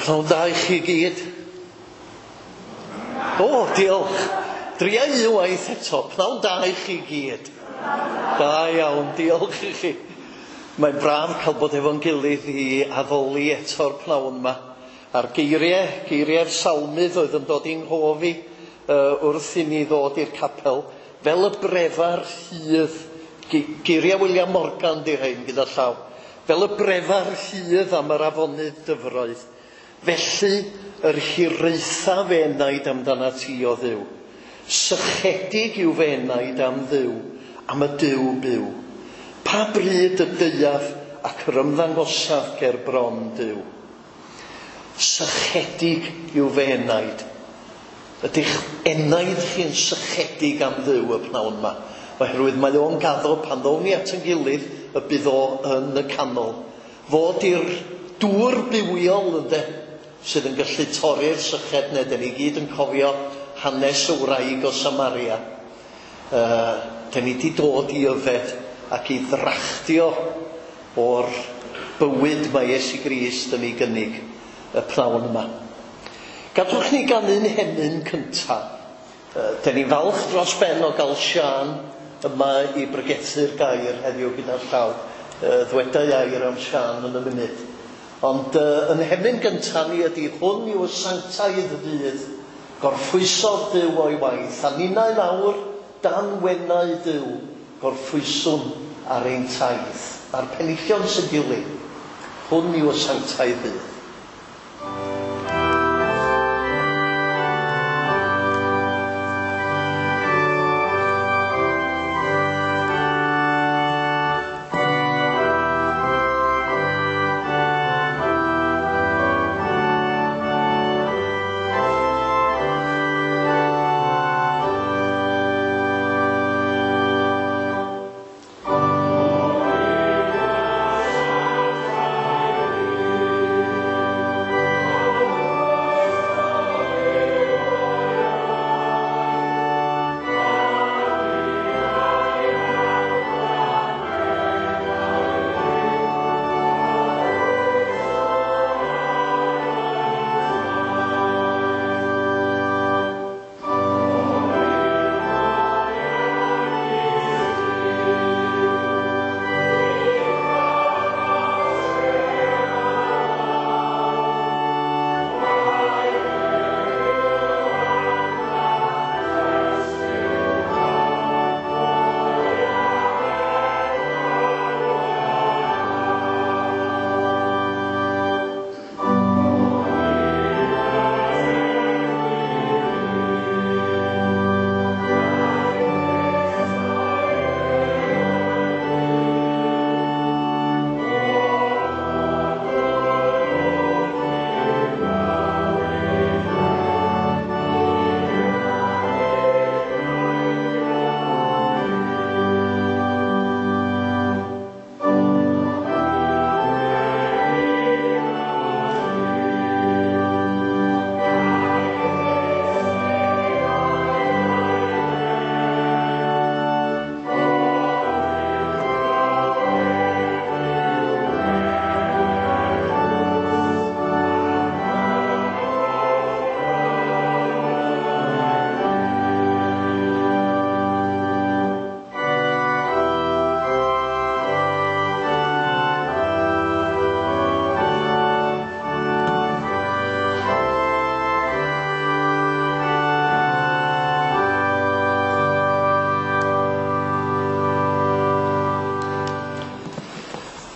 Pnawn da i chi gyd. O, diolch. Dria un waith eto. Pnawn da i chi gyd. Da iawn, diolch i chi. Mae'n braf cael bod efo'n gilydd i addoli eto'r pnawn yma. A'r geiriau, geiriau'r salmydd oedd yn dod i'n nghof i wrth i ni ddod i'r capel, fel y brefar rhydd, geiriau William Morgan di rhain gyda llaw, fel y brefar rhydd am yr afonydd dyfroedd, felly yr hiraetha fy enaid amdanat ti o Dduw. Sychedig yw fy enaid am Dduw, am y Duw byw. Pa bryd y deuaf ac yr ymddangosaf ger bron Duw? Sychedig yw fy enaid. Ydych enaid chi'n sychedig am Dduw y pnawn yma? Oherwydd mae o'n gaddo pan ddown ni at yn gilydd y bydd o yn y canol. Fod i'r dŵr bywiol ynde, sydd yn gallu torri'r syched, neu dyn ni gyd yn cofio hanes y wraig o Samaria. Dyn ni wedi dod i yfed ac i ddrachtio o'r bywyd mae Iesu Grist yn ei gynnig y pnawn yma. Gadwch ni ganu'n hemyn cyntaf. Dyn ni'n falch dros ben o gael Siân yma i bregethu'r gair heddiw gyda'r llaw. Ddwedai air am Siân yn y munud. Ond yn hemyn gyntaf ni ydy hwn yw y sanctaidd ddydd, gorffwysodd Duw o'i waith, a ninnau nawr dan wenau Duw, gorffwyswn ar ein taith. A'r penillion sy'n dilyn, hwn yw y sanctaidd ddydd.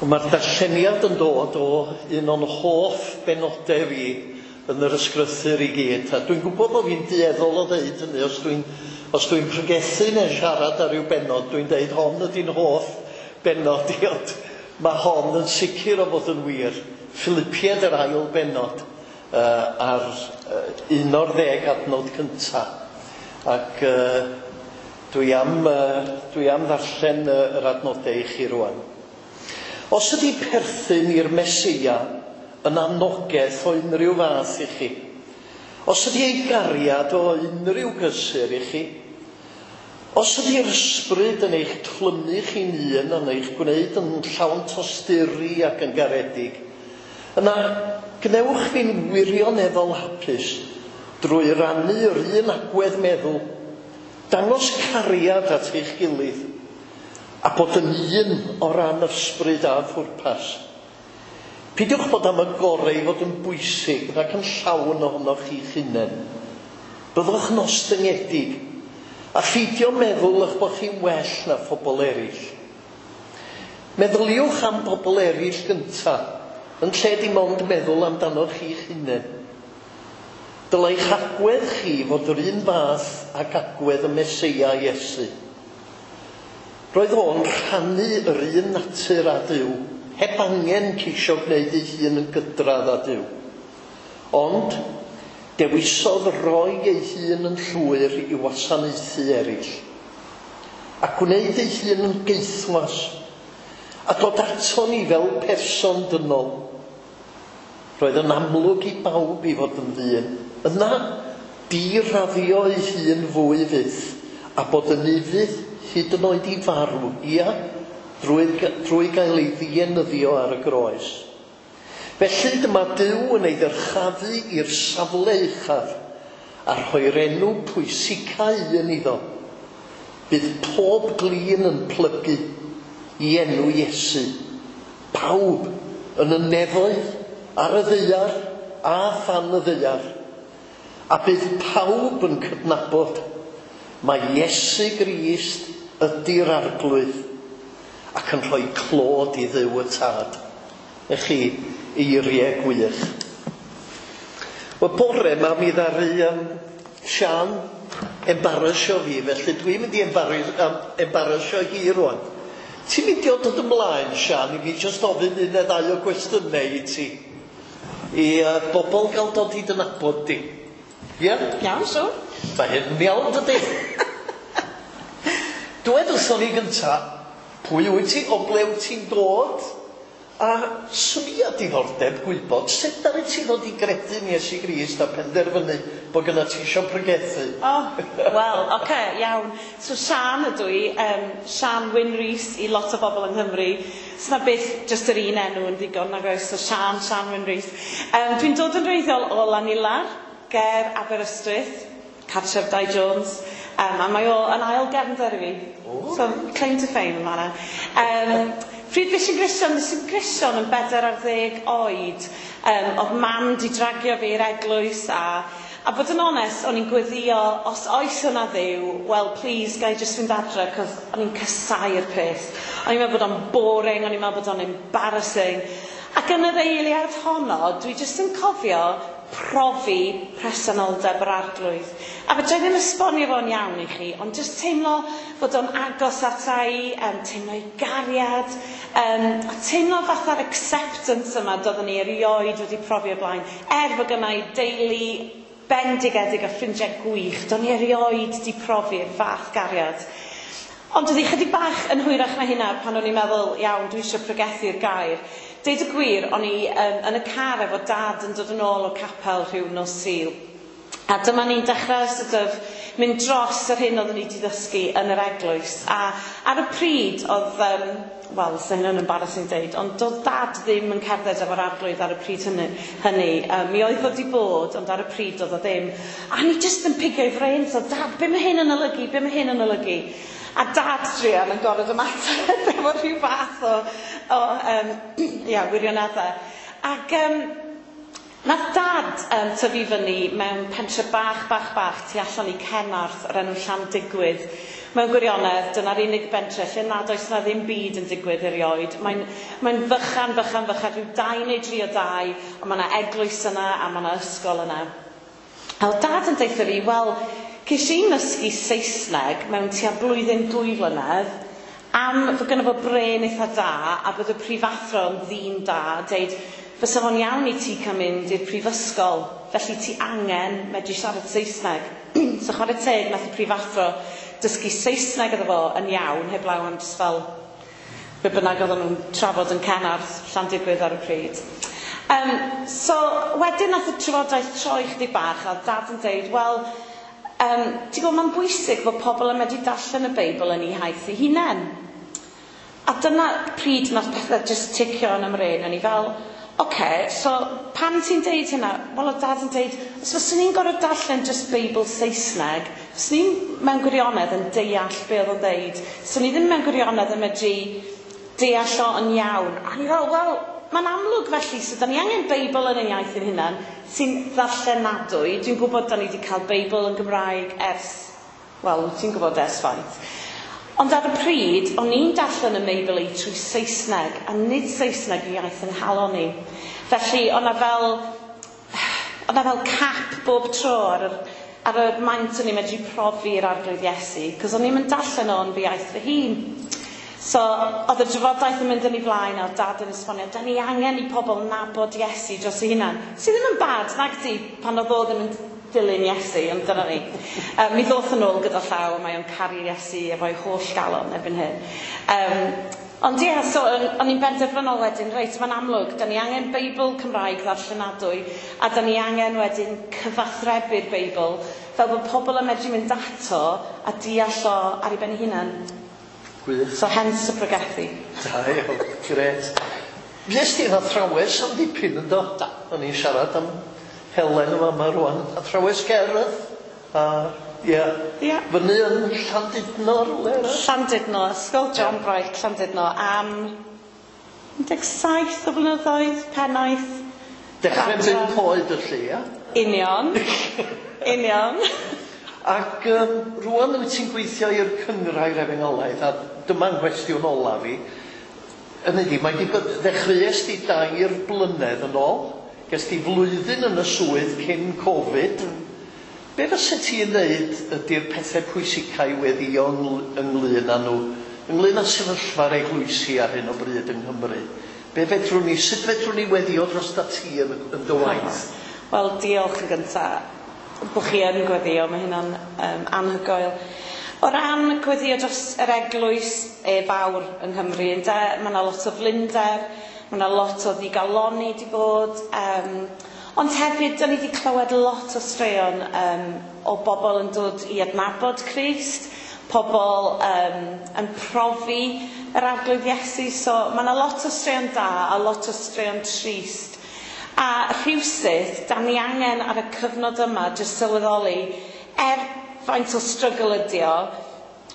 Mae'r darlleniad yn dod o un o'n hoff benodau fi yn yr ysgrythur i gyd. A dwi'n gwybod bod fi'n dueddol o ddeud hynny, os dwi'n pregethu neu siarad ar ryw bennod, dwi'n deud hon ydy'n hoff bennod i, ond mae hon yn sicr o fod yn wir. Philippiaid yr ail bennod ar 11 adnod cyntaf. Ac dwi am ddarllen yr adnodau i chi rwan. Os ydy perthyn i'r Meseia yn anogaeth o unrhyw fath i chi, os ydy ei gariad o unrhyw gysur i chi, os ydy'r ysbryd yn eich clymu chi'n un, yn eich gwneud yn llawn tosturi ac yn garedig, yna Gwnewch fi'n wirioneddol hapus drwy rannu yr un agwedd meddwl, dangos cariad at eich gilydd, a bod yn un o ran ysbryd a phwrpas. Peidiwch bod am y gorau i fod yn bwysig nac yn llawn ohonoch chi'ch hunain. Byddwch yn ostyngedig, a pheidio meddwl eich bod chi'n well na phobl eraill. Meddyliwch am bobl eraill gynta, yn lle dim ond meddwl amdanoch chi'ch hunain. Dylai'ch agwedd chi fod yr un fath ag agwedd y Meseia Iesu. Roedd o'n rhannu yr un natur â Duw, heb angen ceisio gwneud ei hun yn gydradd â Duw. Ond, dewisodd roi ei hun yn llwyr i wasanaethu eraill, a gwneud ei hun yn gaethwas, a dod ato ni fel person dynol. Roedd yn amlwg i bawb i fod yn ddyn. Yna, diraddio ei hun fwy fyth, a bod yn ufudd hyd yn oed i farw, ia, drwy gael ei ddienyddio ar y groes. Felly dyma Duw yn ei ddyrchafu i'r safle uchaf a rhoi'r enw pwysica un iddo. Bydd pob glin yn plygu i enw Iesu. Pawb yn y nefoedd, ar y ddaear a than y ddaear. A bydd pawb yn cydnabod mai Iesu Grist ydy'r Arglwydd ac yn rhoi clod i Dduw y Tad. I chi, eiriau gwych. Wel, bore yma mi ddaru Sian embarrassio fi, felly dwi'n mynd i embarrassio hi rwan. Ti'n mynd i dod ymlaen, Sian, i fi jyst ofyn un neu ddau o gwestiynau i ti? I bobl gael dod i dy nabod di. Ie? Yeah? Iawn, siwr. Mae hyn yn iawn, dydy? Dwed wrthon ni gynta, pwy wyt ti, o ble wyt ti'n dod? A swn i â diddordeb gwybod sut ddaru ti ddod i gredu yn Iesu Grist a penderfynu bod gynna ti isio pregethu? O, wel, oce, okay, iawn. So Sian ydw i, Sian Wyn Rees i lot o bobl yng Nghymru. So na byth jyst yr un enw yn ddigon, nag oes, so Sian, Sian Wyn Rees. Dwi'n dod yn wreiddiol o Lanilar, ger Aberystwyth, cartref Dai Jones. A mae o yn ail gefnder i fi. Oh. So, claim to fame yn fanna. Pryd fues i'n Gristion, fues i'n Gristion yn 14 oed. Oedd mam di dragio fi i'r eglwys a bod yn onest, o'n i'n gweddio, os oes yna Dduw, well, please, ga i jyst fynd adre, cos o'n i'n casáu'r peth. O'n i'n meddwl bod o'n boring, o'n i'n meddwl bod o'n embarrassing. Ac yn yr eiliad honno, dwi jyst yn cofio profi presenoldeb yr Arglwydd. A fedra i ddim esbonio fo'n iawn i chi, ond jyst teimlo fod o'n agos ata i, teimlo ei gariad, a teimlo fatha'r acceptance yma doeddwn i erioed wedi profi o blaen. Er fod gynna i deulu bendigedig a ffrindiau gwych, do'n i erioed di profi'r fath gariad. Ond oedd hi chydig bach yn hwyrach na hynna pan o'n i'n meddwl, iawn, dwi eisiau pregethu'r gair. Deud y gwir, o'n i yn y car efo dad yn dod yn ôl o capel rhyw nos Sul. A dyma ni'n dechrau sort of mynd dros yr hyn oeddwn ni wedi ddysgu yn yr eglwys. A ar y pryd oedd, wel, sa hynny'n embarrassing deud, ond doedd dad ddim yn cerdded efo'r Arglwydd ar y pryd hynny. Mi oedd o wedi bod, ond ar y pryd oedd o ddim. A ni jyst yn pigio ei frên, so dad, be mae hyn yn olygu, be mae hyn yn olygu? A dad druan yn gorfod ymateb efo rhyw fath o ia, wirioneddau. Ac nath dad tyfu fyny mewn pentre bach, bach, bach tu allan i Cenarth o'r enw Llandigwydd. Mewn gwirionedd, dyna'r unig bentre lle nad oes na ddim byd yn digwydd erioed. Mae'n fychan, fychan, fychan, rhyw 2 neu 3 o dai, ond mae yna eglwys yna a mae yna ysgol yna. A oedd dad yn deutha fi, wel, ces i'n nysgu Saesneg mewn tua blwyddyn 2 flynedd, am fod gynno fo brên eitha da a bod y prifathro yn ddyn da, deud, fysa fo'n iawn i ti cael mynd i'r prifysgol, felly ti angen medru siarad Saesneg. So chwarae teg, nath y prifathro dysgu Saesneg iddo fo yn iawn, heblaw am jyst fel be bynnag oedden nhw'n trafod yn Cenarth, Llandigwydd ar y pryd. So wedyn nath y trafodaeth troi chydig bach, a oedd dad yn deud, wel, ti'n gwybod, mae'n bwysig fod pobl yn medru darllen y Beibl yn eu hiaith eu hunain. A dyna pryd nath pethau jyst ticio yn 'y mrên, o'n i fel, oce, Oce, so pam ti'n deud hynna? Wel, oedd Dad yn deud, os fyswn i'n gorfod darllen jyst Beibl Saesneg, fyswn i'n mewn gwirionedd yn deall be oedd o'n deud. So ni ddim mewn gwirionedd yn medru deall o yn iawn. A ni fel, wel, mae'n amlwg felly, so da ni angen Beibl yn ein iaith ein hunan sy'n ddarllenadwy. Dwi'n gwybod da ni wedi cael Beibl yn Gymraeg ers, wel, ti'n gwybod ers faint. Ond ar y pryd, o'n i'n darllen y Meibl i trwy Saesneg, a nid Saesneg i iaith yng nghalon i. Felly, o'na fel, o'na fel cap bob tro ar y maint o'n i'n medru profi'r Arglwydd Iesu, cos o'n i'n mynd darllen o'n fy iaith fy hun. So, oedd y drafodaeth yn mynd yn ei flaen, a oedd Dad yn esbonio, da ni angen i pobl nabod Iesu dros ei hunan. Sydd ddim yn bad, nag di, pan oedd o ddim yn dilyn Iesu, ond dyna ni. Mi ddoth yn ôl gyda llaw, a mae o'n caru Iesu efo'i holl galon erbyn hyn. Ond ie, so o'n i'n benderfynol wedyn, reit, mae'n amlwg, da ni angen Beibl Cymraeg ddarllenadwy, a da ni angen wedyn cyfathrebu'r Beibl, fel bod pobl yn medru mynd ato a deall o ar ei ben ei hunan. Gwych. So hence y pregethu. Da iawn, grêt. Fues ti'n athrawes am dipyn yn do? Do. O'n i'n siarad am Helen yma yma rwan. Athrawes gerdd. A, ie. Ie. Fyny yn Llandudno rhywle yna? Llandudno, Ysgol John Bright Llandudno am 17 o flynyddoedd, pennaeth. Dechrau'n 5 oed y lle, ia? Union. Union. Ac rwan wyt ti'n gweithio i'r Cynghrair Efengylaidd, a dyma'n nghwestiwn olaf i. Hynny ydi, mae di bod, ddechreuais di 2 blynedd yn ôl, ges di flwyddyn yn y swydd cyn Covid. Be fysa ti'n ddeud ydy'r pethau pwysicau i weddïo ynglyn â nhw, ynglyn â sefyllfa'r eglwysi ar hyn o bryd yng Nghymru? Be fedrwn ni, sut fedrwn ni weddïo dros ti yn dy waith? Wel, diolch yn gyntaf bod chi yn gweddïo, mae hynna'n anhygoel. O ran gweddïo dros yr eglwys fawr yng Nghymru, ynde, mae yna lot o flinder, mae yna lot o ddigalonni di bod, ond hefyd, da ni wedi clywed lot o straeon o bobl yn dod i adnabod Crist, pobl yn profi yr Arglwydd Iesu, so mae yna lot o straeon da a lot o straeon trist. A rhywsut, da ni angen ar y cyfnod yma jyst sylweddoli, faint o struggle ydi o,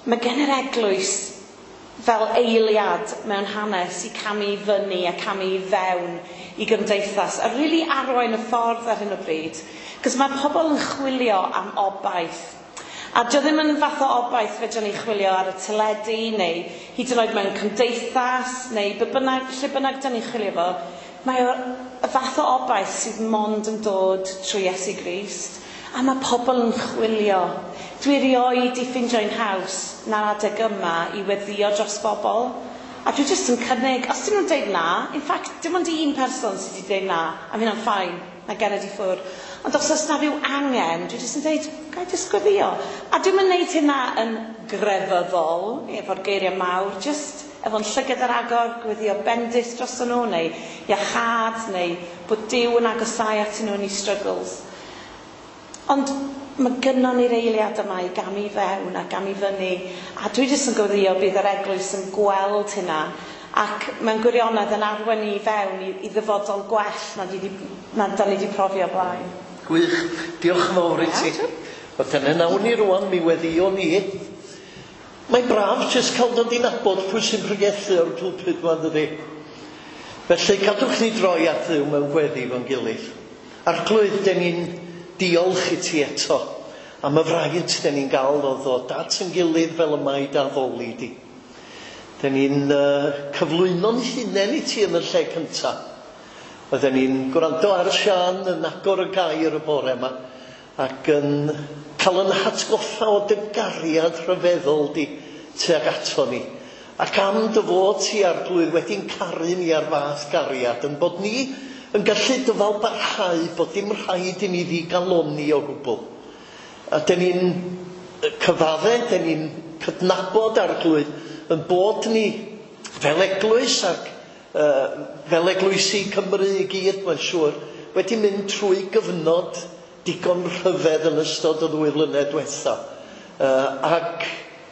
mae gen yr eglwys fel eiliad mewn hanes i camu i fyny a camu i fewn i gymdeithas a really arwain y ffordd ar hyn o bryd. Cos mae pobl yn chwilio am obaith. A dio ddim yn fath o obaith fedrwn ni chwilio ar y teledu neu hyd yn oed mewn cymdeithas neu be bynnag, lle bynnag da ni'n chwilio fo. Mae o y fath o obaith sydd mond yn dod trwy Iesu Grist. A mae pobl yn chwilio. Dwi erioed i ffeindio'n haws na'r adeg yma i weddïo dros bobl. A dwi jyst yn cynnig, os dyn nhw'n deud na, in fact, dim ond un person sydd wedi deud na, a mae hynna'n fine, na gered i ffwrdd. Ond os oes na rhyw angen, dwi jyst yn deud, ga i jyst gweddio. A dwi'm yn neud hynna yn grefyddol, efo'r geiriau mawr, jyst efo'n llygad ar agor, gweddio bendith dros nhw, neu iachâd, neu bod Duw yn agosáu atyn nhw yn eu struggles. Ond mae gynnon ni'r eiliad yma i gamu fewn a gamu fyny, a dwi jyst yn gweddio bydd yr eglwys yn gweld hynna, ac mewn gwirionedd yn arwain ni fewn i ddyfodol gwell na da ni wedi profi o blaen. Gwych, diolch yn fawr i ti. Wel, dyna nawn ni rwan, mi weddio ni. Mae'n braf jyst cael dod i nabod pwy sy'n pregethu o'r pulpit yma, dydi? Felly, cadwch ni droi at Dduw mewn gweddi fo'n gilydd. Arglwydd, den ni'n diolch i ti eto am y fraint den ni'n gael o ddod at yn gilydd fel y mae dy addoli di. Den ni'n cyflwyno'n hunain i ti yn y lle cyntaf. Oedden ni'n gwrando ar Siân yn agor y gair y bore yma ac yn cael yn hatgoffa o dy gariad rhyfeddol di tuag ato ni. Ac am dy fod ti Arglwydd wedi'n caru ni ar fath gariad, yn bod ni yn gallu dyfal barhau bod dim rhaid i ni ddigalonni o gwbl. A den ni'n cyfadde, den ni'n cydnabod Arglwydd yn bod ni fel eglwys ac fel eglwysi Cymru i gyd, mae'n siŵr, wedi mynd trwy gyfnod digon rhyfedd yn ystod y 2 flynedd diwetha. Ac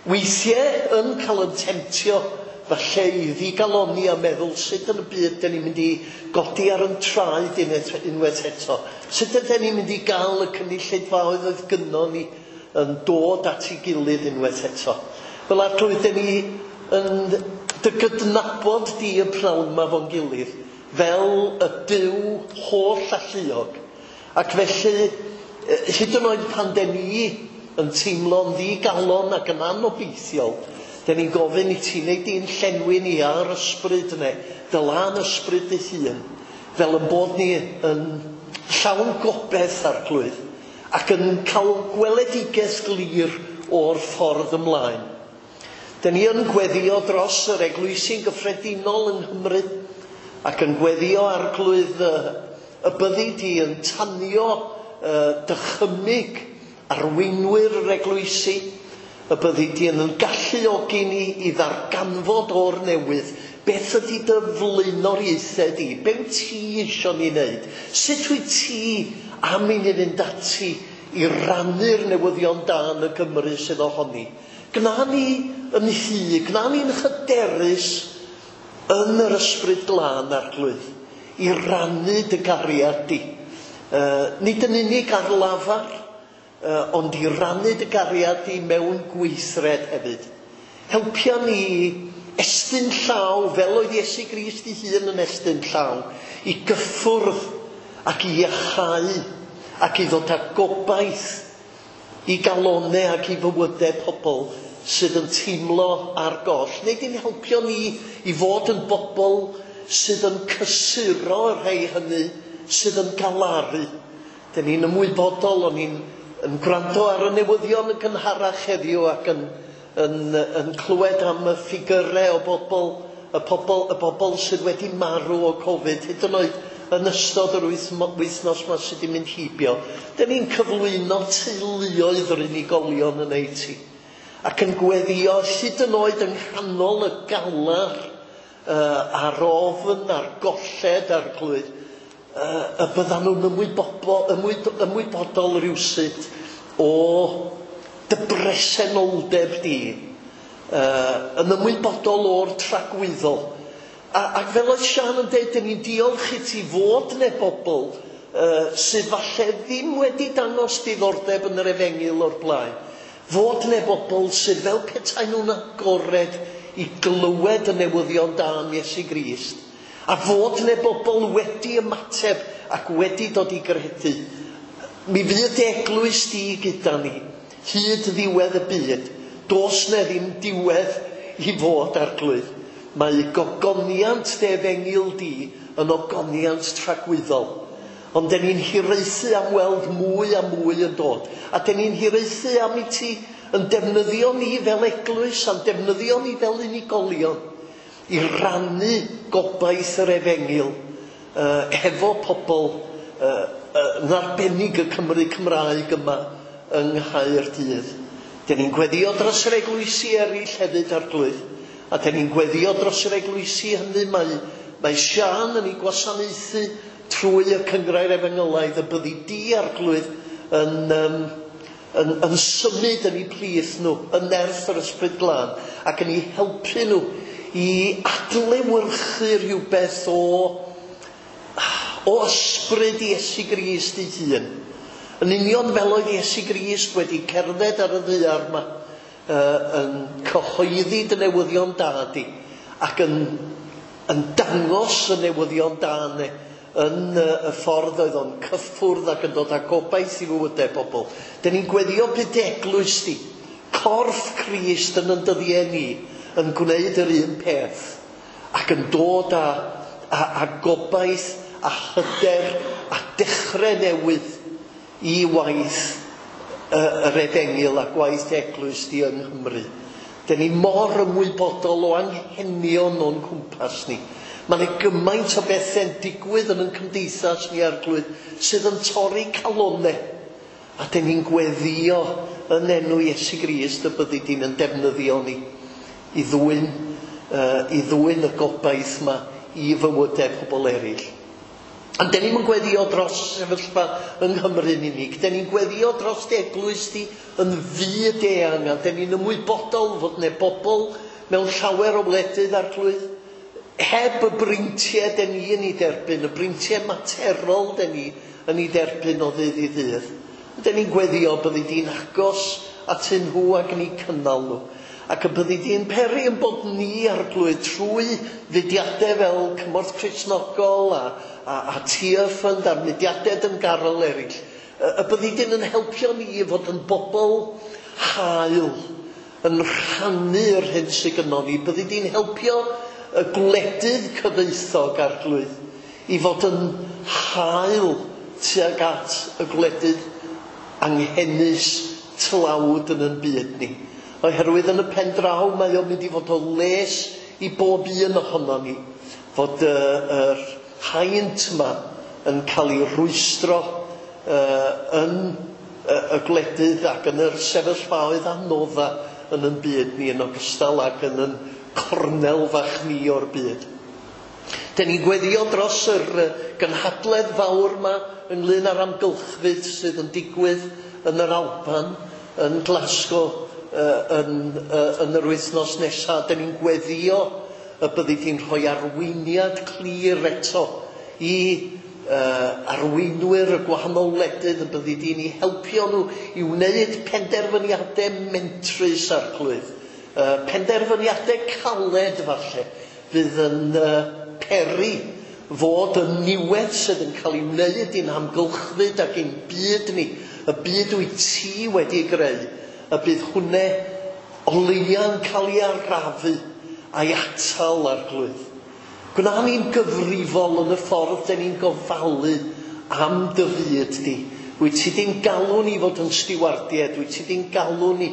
weithiau yn cael yn temtio falle i ddigaloni a meddwl sut yn y byd dyn ni'n mynd i godi ar yn traed unwaith eto. Sut ydyn ni'n mynd i gael y cynulleidfaoedd oedd gynnon ni yn dod at ei gilydd unwaith eto. Fel Arglwydd, dyn ni yn dy gydnabod di y pnawn yma fo'n gilydd fel y Duw holl alluog. Ac felly, hyd yn oed pan dyn ni yn teimlo'n ddigalon ac yn anobeithiol, dyn ni'n gofyn i ti wneud di'n llenwi ni ar ysbryd yna, dy lân ysbryd dy hun, fel yn bod ni yn llawn gobaith, Arglwydd, ac yn cael gweledigaeth glir o'r ffordd ymlaen. Dyn ni yn gweddio dros yr eglwysi'n gyffredinol yng Nghymru, ac yn gweddio, Arglwydd, y byddi di yn tanio dychymyg arweinwyr yr eglwysi, y byddi di yn galluogi ni i ddarganfod o'r newydd beth ydy dy flaenoriaethau di, be wyt ti isio ni wneud, sut wyt ti am i ni fynd ati i rannu'r newyddion da yn y Gymru sydd ohoni. Gna ni yn hy, gna ni'n hyderus yn yr ysbryd glân, Arglwydd, i rannu dy gariad di. Nid yn unig ar lafar, ond i rannu dy gariad di mewn gweithred hefyd. Helpia ni estyn llaw, fel oedd Iesu Grist ei hun yn estyn llaw, i gyffwrdd ac i iachau ac i ddod â gobaith i galonau ac i fywydau pobl sydd yn teimlo ar goll. Neu di'n helpio ni i fod yn bobl sydd yn cysuro y rhai hynny sydd yn galaru. Dyn ni'n ymwybodol, o'n ni'n yn gwrando ar y newyddion yn gynharach heddiw ac yn clywed am y ffigyrau o bobl, y bobl sydd wedi marw o Covid, hyd yn oed yn ystod yr wythnos yma sydd wedi mynd heibio. Dyn ni'n cyflwyno teuluoedd yr unigolion yn ei ti, ac yn gweddio hyd yn oed yng nghanol y galar a'r ofn, a'r golled, a'r glwyd, y byddan nhw'n ymwybodol rywsut o dy bresenoldeb di, yn ymwybodol o'r tragwyddol. Ac fel oedd Sian yn dweud, dyn ni'n diolch i ti fod neu bobl sydd falle ddim wedi dangos diddordeb yn yr efengyl o'r blaen. Fod neu bobl sydd fel petai nhw'n agored i glywed y newyddion da am Iesu Grist. A fod neu bobl wedi ymateb ac wedi dod i gredu. Mi fydd eglwys di gyda ni, hyd ddiwedd y byd. Does 'na ddim diwedd i fod, Arglwydd. Mae gogoniant dy efengyl di yn ogoniant tragwyddol. Ond dyn ni'n hiraethu am weld mwy a mwy yn dod. A dyn ni'n hiraethu am i ti yn defnyddio ni fel eglwys a'n defnyddio ni fel unigolion i rannu gobaith yr efengyl hefo pobl yn arbennig y Cymry Cymraeg yma yng Nghaerdydd. Dyn ni'n gweddio dros yr eglwysi eraill hefyd, Arglwydd. A dyn ni'n gweddio dros yr eglwysi hynny mae Sian yn ei gwasanaethu trwy y Cynghrair Efengylaidd, y byddi di, Arglwydd, yn symud yn eu plith nhw, yn nerth yr Ysbryd Glân, ac yn eu helpu nhw i adlewyrchu rhywbeth o ysbryd Iesu Grist ei hun. Yn union fel oedd Iesu Grist wedi cerdded ar y ddaear yma, yn cyhoeddi dy newyddion da di, ac yn dangos y newyddion da yna yn y ffordd oedd o'n cyffwrdd ac yn dod â gobaith i fywydau pobl. Dyn ni'n gweddio bydd eglwys di, corff Crist yn dyddiau ni, yn gwneud yr un peth, ac yn dod â gobaith a hyder a dechrau newydd i waith yr efengyl a gwaith eglwys di yng Nghymru. Dyn ni mor ymwybodol o anghenion o'n cwmpas ni. Mae yna gymaint o bethau'n digwydd yn ein cymdeithas ni, Arglwydd, sydd yn torri calonnau. A dyn ni'n gweddio yn enw Iesu Grist y byddi di'n yn defnyddio ni i ddwyn y gobaith yma i fywydau pobl eraill. Ond dyn ni'n gweddio dros sefyllfa yng Nghymru'n unig. Dyn ni'n gweddio dros eglwys di yn fyd eang, a dyn ni'n ymwybodol fod yna bobl mewn llawer o wledydd, Arglwydd, heb y breintiau den ni yn ei derbyn, y breintiau materol den ni yn ei derbyn o ddydd i ddydd. Den ni'n gweddio byddi di'n agos atyn nhw ac yn eu cynnal nhw. Ac y byddi di'n peri yn bod ni, Arglwydd, trwy fudiadau fel Cymorth Cristnogol a Tearfund a'r mudiadau dyngarol eraill, y byddi di'n yn helpio ni i fod yn bobl hael, yn rhannu yr hyn sydd gynnon ni. Byddi di'n helpio y gwledydd cyfoethog, Arglwydd, i fod yn hael tuag at y gwledydd anghenus tlawd yn ein byd ni. Oherwydd yn y pen draw mae o'n mynd i fod o les i bob un ohono ni, fod yr haint yma yn cael ei rwystro yn y gwledydd ac yn yr sefyllfaoedd anodda yn ein byd ni, yn ogystal ac yn ein cornel fach ni o'r byd. Den ni'n gweddio dros yr gynhadledd fawr yma ynglyn â'r amgylchfyd sydd yn digwydd yn yr Alban, yn Glasgow, yn yr wythnos nesaf. Den ni'n gweddio y byddi di'n rhoi arweiniad clir eto i arweinwyr y gwahanol wledydd, y byddi di'n eu helpio nhw i wneud penderfyniadau mentrus, Arglwydd. Penderfyniadau caled falle, fydd yn peri fod y niwed sydd yn cael ei wneud i'n hamgylchfyd ac i'n byd ni, y byd wyt ti wedi greu, y bydd hwnne o leia'n cael ei arafu a'i atal, Arglwydd. Gwna ni'n gyfrifol yn y ffordd den ni'n gofalu am dy fyd di. Wyt ti di'n galw ni fod yn stiwardiaid, wyt ti di'n galw ni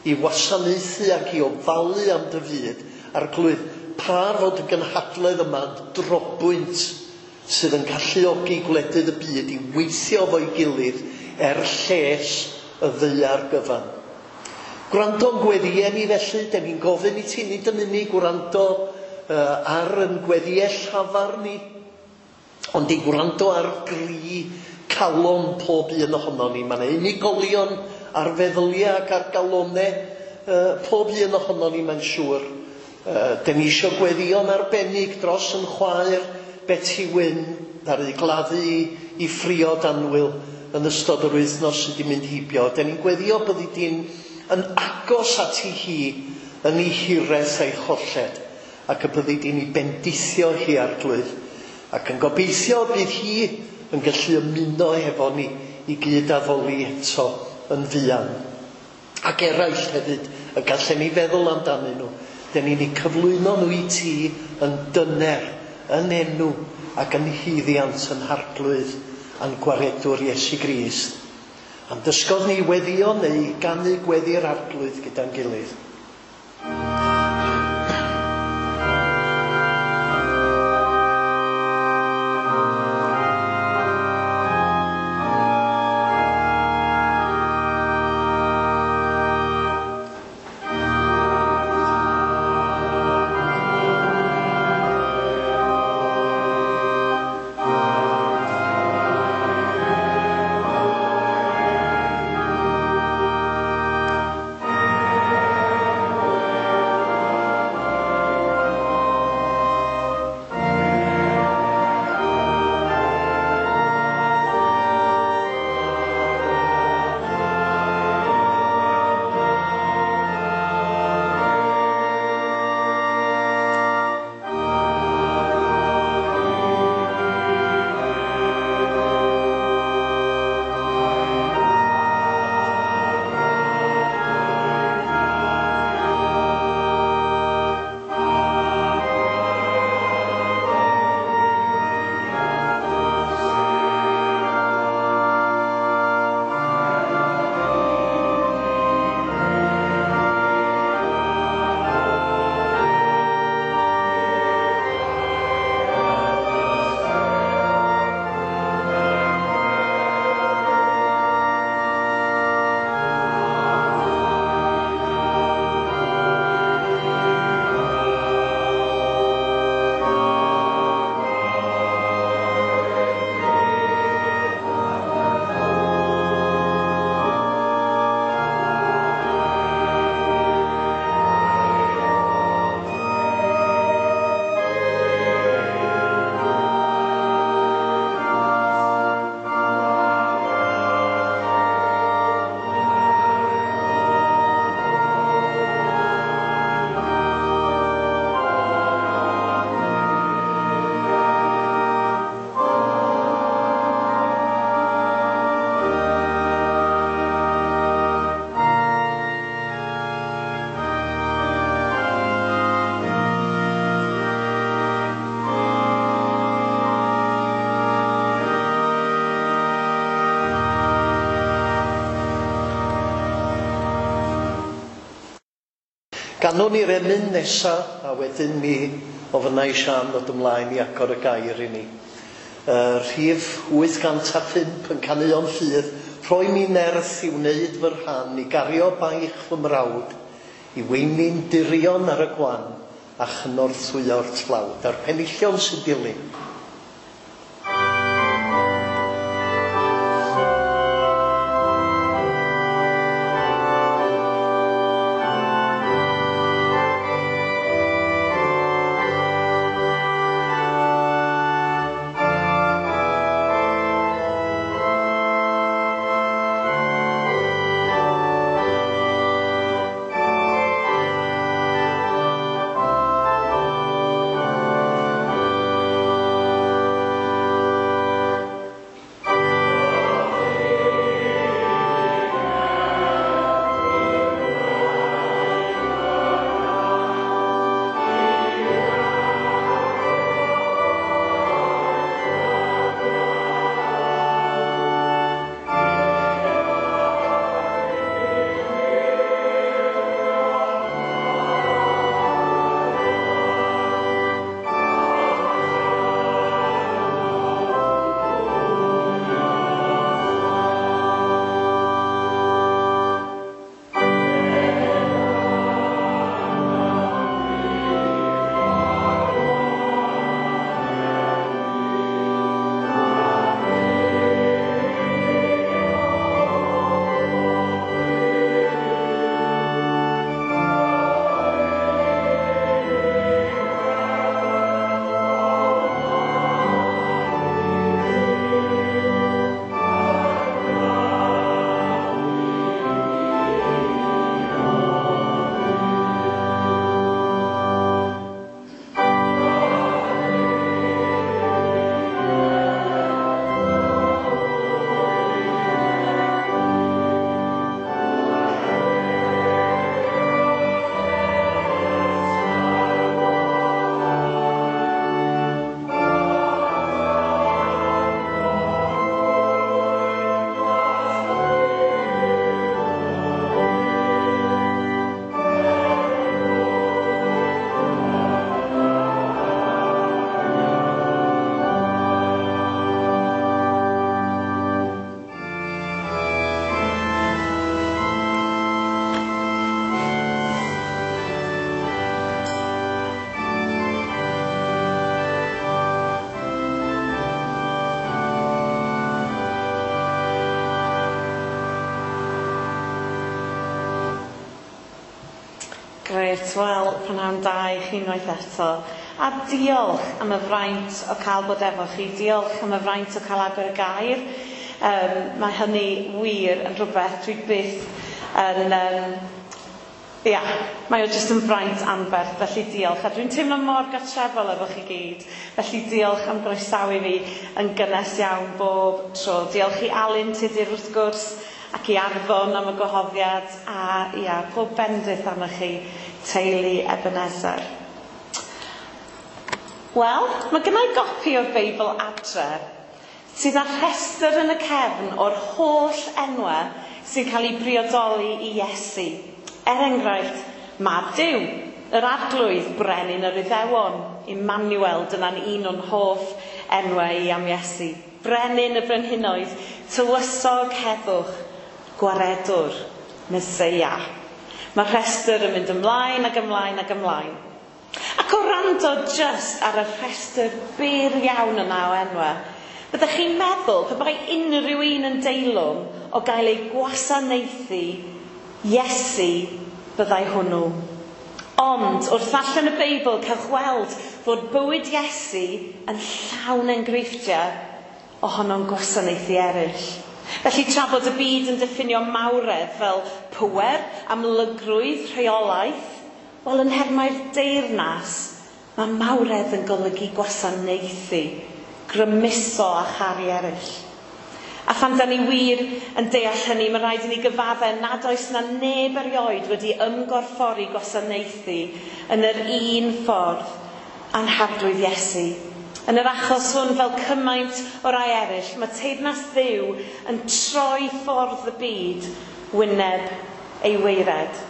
i wasanaethu ac i ofalu am dy fyd. Arglwydd, pa fod y gynhadledd yma'n drobwynt sydd yn galluogi gwledydd y byd i weithio fo'i gilydd er lles y ddaear gyfan. Gwrando'n gweddïau ni felly, den ni'n gofyn i ti nid yn unig gwrando ar yn gweddïau llafar ni, ond i gwrando ar gri calon pob un ohono ni. Mae yna unigolion ar feddyliau ac ar galonau pob un ohono ni, mae'n siŵr. Den ni eisiau gweddïo'n arbennig dros yn chwaer Betty Wyn, ddaru gladdu i phriod annwyl yn ystod yr wythnos sydd wedi mynd heibio. Den ni'n gweddio byddi di'n yn agos at i hi yn ei hiraeth a'i cholled, ac y byddi di'n ei bendithio hi, Arglwydd, ac yn gobeithio bydd hi yn gallu ymuno hefo ni i gyd addoli eto yn fuan. Ac eraill hefyd y gallen ni feddwl amdanyn nhw. Den ni'n eu cyflwyno nhw i ti yn dyner, yn enw ac yn haeddiant yn Harglwydd a'n Gwaredwr Iesu Grist. Am dysgodd ni weddio neu ganu gweddi'r Arglwydd gyda'n gilydd. Ganwn ni'r emyn nesa, a wedyn mi ofynna i Siân ddod ymlaen i agor y gair i ni. Rhif 805 yn Caneuon Ffydd, rhoi mi nerth i wneud fy rhan, i gario baich fy mrawd, i weini'n dirion ar y gwan, a chynorthwyo'r tlawd. A'r penillion sy'n dilyn. Grêt, wel, prynhawn da i chi unwaith eto. A diolch am y fraint o cael bod efo chi, diolch am y fraint o cael agor y gair. Mae hynny wir yn rhywbeth dwi byth yn... Ia, mae o jyst yn fraint anferth, felly diolch. A dwi'n teimlo mor gartrefol efo chi gyd, felly diolch am groesawu fi yn gynnes iawn bob tro. Diolch i Alun Tudur wrth gwrs, ac i Arfon am y gwahoddiad, a ia, pob bendith arnoch chi, teulu Ebenezer. Wel, mae gynna i gopi o'r Beibl adre, sydd â rhestr yn y cefn o'r holl enwau sy'n cael ei briodoli i Iesu. Er enghraifft, Mab Duw, yr Arglwydd, Brenin yr Iddewon, Emmanuel, dyna'n un o'n hoff enwau i am Iesu. Brenin y Brenhinoedd, Tywysog Heddwch, Gwaredwr, Meseia. Mae'r rhestr yn mynd ymlaen ac ymlaen ac ymlaen. Ac o rando jyst ar y rhestr byr iawn yna o enwau, byddech chi'n meddwl pe bai unrhyw un yn deilwng o gael ei gwasanaethu, Iesu byddai hwnnw. Ond wrth ddarllen y Beibl cewch weld fod bywyd Iesu yn llawn enghreifftiau ohono'n gwasanaethu eraill. Felly tra bod y byd yn diffinio mawredd fel pŵer, amlygrwydd, rheolaeth, wel yn nhermau'r deyrnas, mae mawredd yn golygu gwasanaethu, grymuso a charu eraill. A phan da ni wir yn deall hynny, mae rhaid i ni gyfadde nad oes na neb erioed wedi ymgorffori gwasanaethu yn yr un ffordd â'n Harglwydd Iesu. Yn yr achos hwn, fel cymaint o rai eraill, mae teyrnas Dduw yn troi ffordd y byd wyneb ei waered.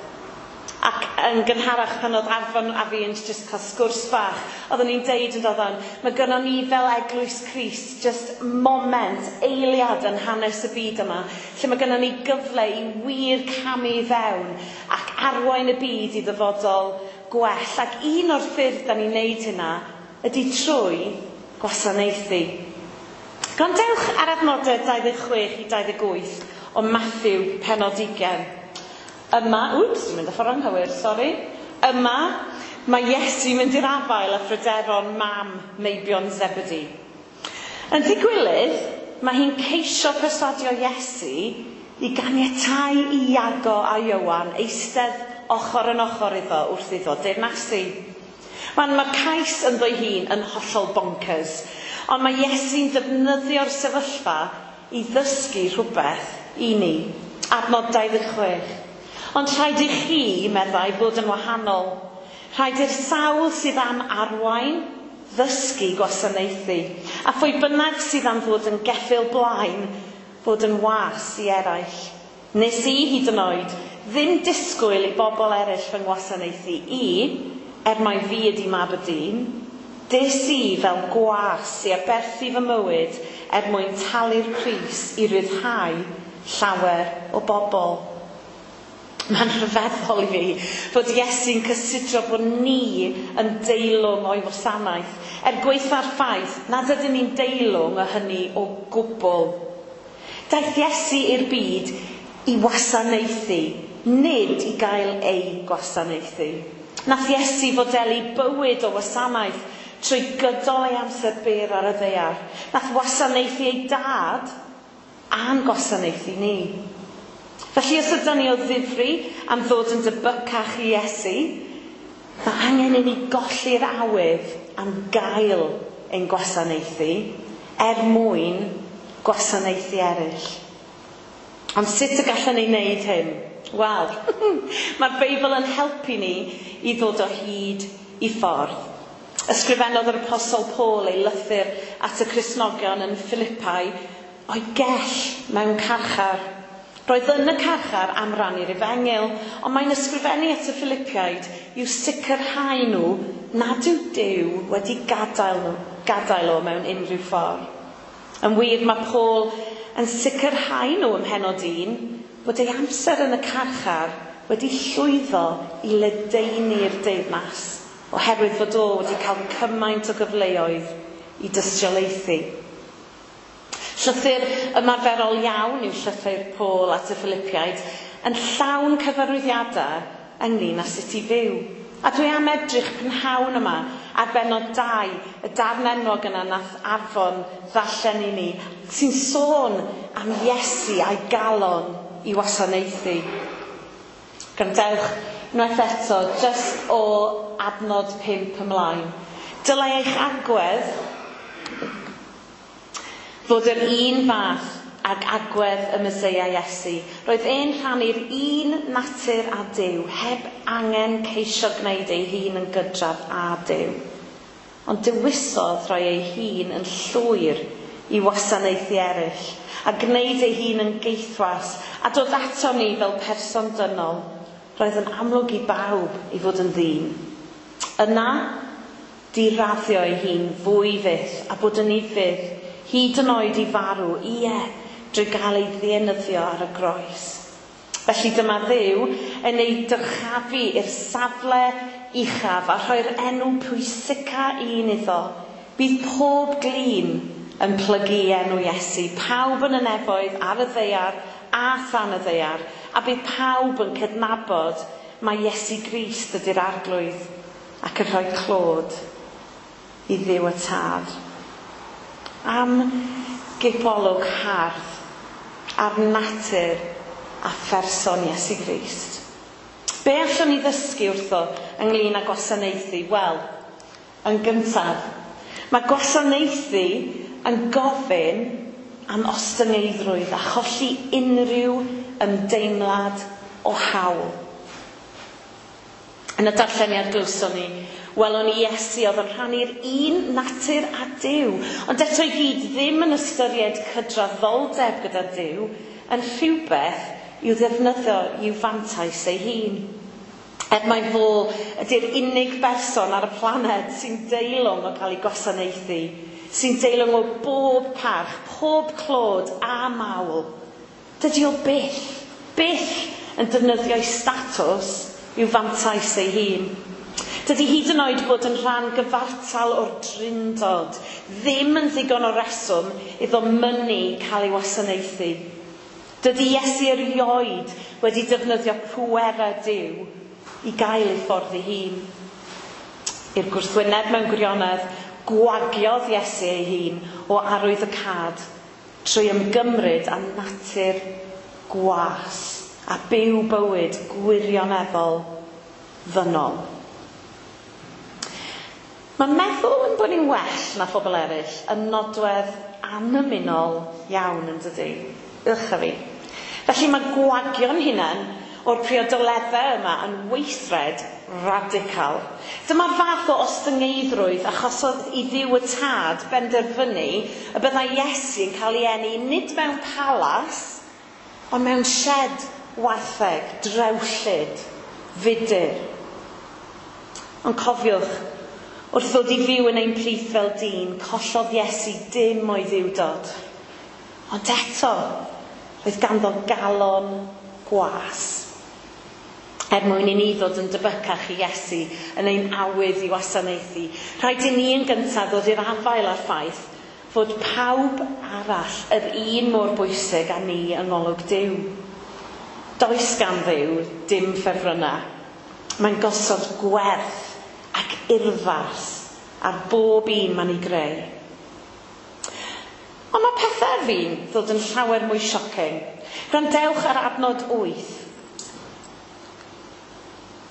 Ac Yn gynharach pan oedd Arfon a fi yn just cael sgwrs bach, oeddwn ni'n deud yn doedden, mae gynnon ni fel Eglwys Crist just moment, eiliad yn hanes y byd yma, lle mae gynnon ni gyfle i wir camu i fewn ac arwain y byd i ddyfodol gwell. Ac un o'r ffyrdd da ni'n neud hynna ydy trwy gwasanaethu. Gwrandewch ar adnodau 26 i 28 o Matthew pennod 20. Yma, wps, dwi'n mynd y ffordd anghywir, sori. Yma, mae Iesu mynd i'r afael â phryderon mam meibion Zebedee. Yn ddigwylydd, mae hi'n ceisio perswadio Iesu i ganiatáu i Iago a Ioan eistedd ochr yn ochr iddo wrth iddo deyrnasu. Mae'r cais ynddo'i hun yn hollol bonkers, ond mae Iesu'n defnyddio'r sefyllfa i ddysgu rhywbeth i ni. Adnod 26. Ond rhaid i chi, meddai, fod yn wahanol. Rhaid i'r sawl sydd am arwain, ddysgu gwasanaethu. A phwy bynnag sydd am fod yn geffyl blaen, fod yn was i eraill. Nes i hyd yn oed ddim disgwyl i bobl eraill fy ngwasanaethu i, er mai fi ydi mab y dyn, des i fel gwas i aberthu fy mywyd er mwyn talu'r pris i ryddhau llawer o bobl. Mae'n rhyfeddol i fi fod Iesu'n cysidro bod ni yn deilwng o'i wasanaeth, er gwaetha'r ffaith nad ydyn ni'n deilwng o hynny o gwbl. Daeth Iesu i'r byd i wasanaethu, nid i gael ei gwasanaethu. Nath Iesu fodelu bywyd o wasanaeth trwy gydol ei amser byr ar y ddaear. Nath wasanaethu ei dad a'n gwasanaethu ni. Felly os ydyn ni o ddifri am ddod yn debycach i Iesu, mae angen i ni golli'r awydd am gael ein gwasanaethu er mwyn gwasanaethu eraill. Ond sut y gallwn ni wneud hyn? Wel, mae'r Beibl yn helpu ni i ddod o hyd i ffordd. Ysgrifennodd yr Apostol Paul ei lythyr at y Cristnogion yn Philippi o'i gell mewn carchar. Roedd yn y carchar am rannu'r efengyl, ond mae'n ysgrifennu at y Philippiaid i'w sicrhau nhw nad yw Duw wedi gadael o mewn unrhyw ffordd. Yn wir, mae Paul yn sicrhau nhw ym mhennod 1 bod ei amser yn y carchar wedi llwyddo i ledaenu'r deyrnas, oherwydd fod o wedi cael cymaint o gyfleoedd i dystiolaethu. Llythyr ymarferol iawn yw llythyr Paul at y Philippiaid, yn llawn cyfarwyddiadau ynglyn â sut i fyw. A dwi am edrych prynhawn yma ar bennod 2, y darn enwog yna nath Arfon ddarllen i ni, sy'n sôn am Iesu a'i galon i wasanaethu. Gwrandewch unwaith eto, just o adnod 5 ymlaen. Dylai eich agwedd fod yr un fath ag agwedd y Meseia Iesu. Roedd e'n rhannu'r un natur â Duw, heb angen ceisio gwneud ei hun yn gydradd â Duw. Ond dewisodd rhoi ei hun yn llwyr i wasanaethu eraill, a gwneud ei hun yn geithwas, a dod ato ni fel person dynol. Roedd yn amlwg i bawb i fod yn ddyn. Yna, diraddio ei hun fwy fyth, a bod yn ufudd, hyd yn oed i farw, ie, drwy gael ei ddienyddio ar y groes. Felly dyma Dduw yn ei dyrchafu i'r safle uchaf a rhoi'r enw pwysica un iddo. Bydd pob glin yn plygu i enw Iesu, pawb yn y nefoedd, ar y ddaear a than y ddaear, a bydd pawb yn cydnabod mai Iesu Grist ydy'r Arglwydd ac yn rhoi clod i Dduw y Tad. Am gipolwg hardd ar natur a pherson Iesu Grist. Be allwn ni ddysgu wrtho ynglyn â gwasanaethu? Wel, yn gyntaf, mae gwasanaethu yn gofyn am ostyngeiddrwydd a cholli unrhyw ymdeimlad o hawl. Yn y darlleniad glywson ni, welwn ni Iesu oedd yn rhannu'r un natur â Duw, ond eto i gyd ddim yn ystyried cydraddoldeb gyda Duw yn rhywbeth i'w ddefnyddio i'w fantais ei hun. Er mai fo ydy'r unig berson ar y planed sy'n deilwng o cael ei gwasanaethu, sy'n deilwng o bob parch, pob clod a mawl. Dydy o byth, byth yn defnyddio'i statws i'w fantais ei hun. Dydy hyd yn oed bod yn rhan gyfartal o'r drindod ddim yn ddigon o reswm iddo mynnu cael ei wasanaethu. Dydy Iesu erioed wedi defnyddio pwerau Duw i gael ei ffordd ei hun. I'r gwrthwyneb mewn gwirionedd, gwagiodd Iesu ei hun o arwydd y cad trwy ymgymryd â natur gwas a byw bywyd gwirioneddol ddynol. Mae meddwl yn bod ni'n well na phobl eraill yn nodwedd anymunol iawn yn dydy. Ych a fi. Felly mae gwagio'n hunain o'r priodoleddau yma yn weithred radical. Dyma'r fath o ostyngeiddrwydd achosodd i Dduw y Tad benderfynu y byddai Iesu yn cael ei eni nid mewn palas, ond mewn shed wartheg, drewllyd, fudur. Ond cofiwch, wrth ddod i fyw yn ein plith fel dyn, collodd Iesu dim o'i ddiwdod. Ond eto, roedd ganddo galon gwas. Er mwyn i ni ddod yn debycach i Iesu yn ein awydd i wasanaethu, rhaid i ni yn gyntaf ddod i'r afael â'r ffaith fod pawb arall yr un mor bwysig â ni yng ngolwg Duw. Does gan Dduw dim ffefrynnau. Mae'n gosod gwerth ac urddas ar bob un mae'n ei greu. Ond mae pethau fi'n ddod yn llawer mwy shocking. Gwrandewch ar adnod 8.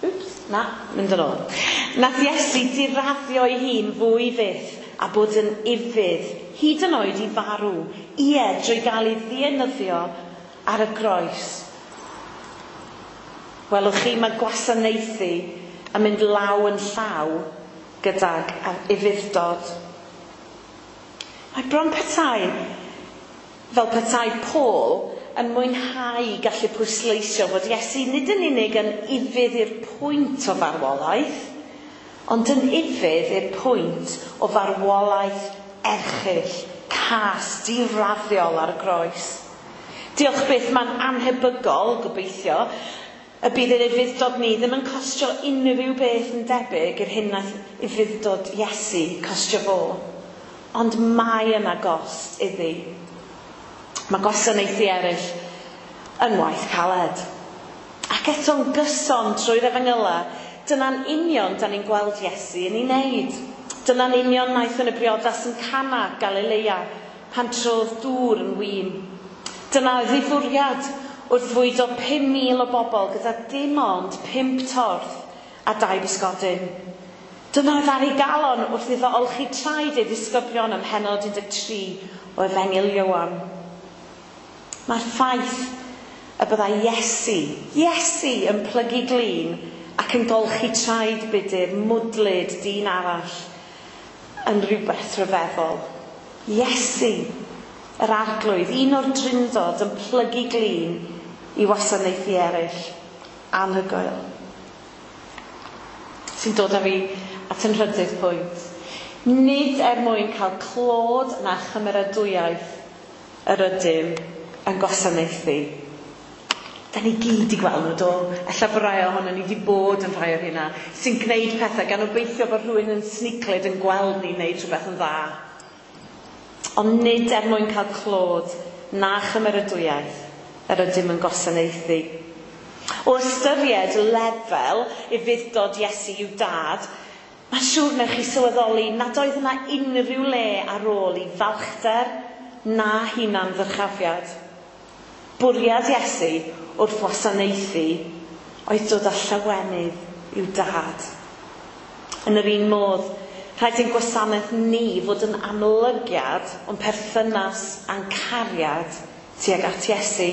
Oops, na, mynd yn ôl. Nath Iesu diraddio ei hun fwy fyth a bod yn ufudd, hyd yn oed i farw, ie, drwy gael ei ddienyddio ar y groes. Welwch chi, mae gwasanaethu yn mynd law yn llaw gydag ufudd-dod. Mae bron petai, fel petai Paul, yn mwynhau gallu pwysleisio fod Iesu nid yn unig yn ufudd i'r pwynt o farwolaeth, ond yn ufudd i'r pwynt o farwolaeth erchyll, cas, diraddiol ar y groes. Diolch byth, mae'n annhebygol, gobeithio, y bydd yr ufudd-dod ni ddim yn costio unrhyw beth yn debyg i'r hyn nath ufudd-dod Iesu costio fo. Ond mae yna gost iddi. Mae gwasanaethu eraill yn waith caled. Ac eto'n gyson trwy'r efengyla, dyna'n union da ni'n gweld Iesu yn ei wneud. Dyna'n union wnaeth yn y briodas yn Cana, Galilea, pan trodd dŵr yn win. Dyna oedd ei fwriad wrth fwydo 5,000 o bobl gyda dim ond 5 torth a 2 bysgodyn. Dyna oedd ar ei galon wrth iddo olchi traed ei ddisgyblion ym mhennod 13 o Efengyl Ioan. Mae'r ffaith y byddai Iesu yn plygu glin ac yn golchi traed budur mwdlyd dyn arall yn rhywbeth rhyfeddol. Iesu, yr arglwydd, un o'r drindod yn plygu glin i wasanaethu eraill. Anhygoel. Sy'n dod â fi at yn nhrydydd pwynt. Nid er mwyn cael clod na chymeradwyaeth yr ydym yn gwasanaethu. Da ni gyd i gweld nhw, do? Ella bod rai ohono ni wedi bod yn rhai o'r hynna, sy'n gwneud pethau gan obeithio bod rhywun yn sniclyd yn gweld ni'n gwneud rhywbeth yn dda. Ond nid er mwyn cael clod na chymeradwyaeth yr ydym yn gwasanaethu. O ystyried lefel ufudd-dod Iesu i'w dad, mae'n siŵr wnewch chi sylweddoli nad oedd yna unrhyw le ar ôl i falchder na hunan ddyrchafiad. Bwriad Iesu wrth wasanaethu oedd dod â llawenydd i'w dad. Yn yr un modd, rhaid i'n gwasanaeth ni fod yn amlygiad o'n perthynas a'n cariad tuag at Iesu.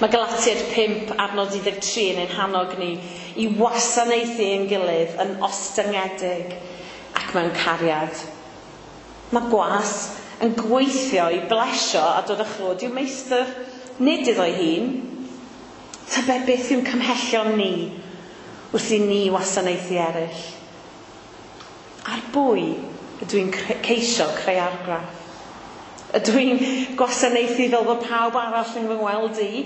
Mae Galatiaid 5 adnod 13 yn ein hannog ni i wasanaethu ein gilydd yn ostyngedig ac mewn cariad. Mae gwas yn gweithio i blesio a dod â chlod i'w meistr, nid iddo'i hun. Tybed beth yw'n cymhellion ni wrth i ni wasanaethu eraill? Ar bwy ydw i'n ceisio creu argraff? Ydw i'n gwasanaethu fel bod pawb arall yn fy ngweld i?